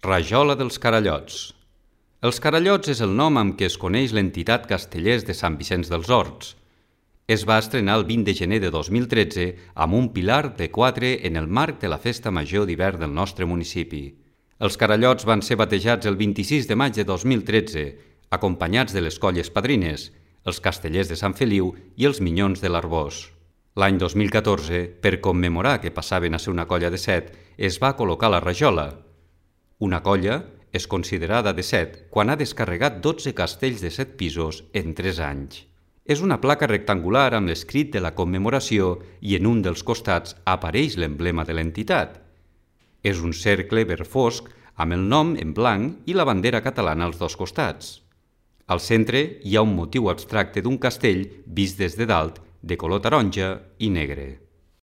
Rajola dels Carallots. Els Carallots és el nom amb què es coneix l'entitat Castellers de Sant Vicenç dels Horts. Es va estrenar el 20 de gener de 2013 amb un pilar de 4 en el marc de la Festa Major d'hivern del nostre municipi. Els Carallots van ser batejats el 26 de maig de 2013, acompanyats de les colles padrines, els Castellers de Sant Feliu i els Minyons de l'Arbós. L'any 2014, per commemorar que passaven a ser una colla de 7, es va col·locar la rajola. Una colla és considerada de 7 quan ha descarregat 12 castells de 7 pisos en 3 anys. És una placa rectangular amb l'escrit de la commemoració i en un dels costats apareix l'emblema de l'entitat. És un cercle verd fosc amb el nom en blanc i la bandera catalana als dos costats. Al centre hi ha un motiu abstracte d'un castell vist des de dalt de color taronja i negre.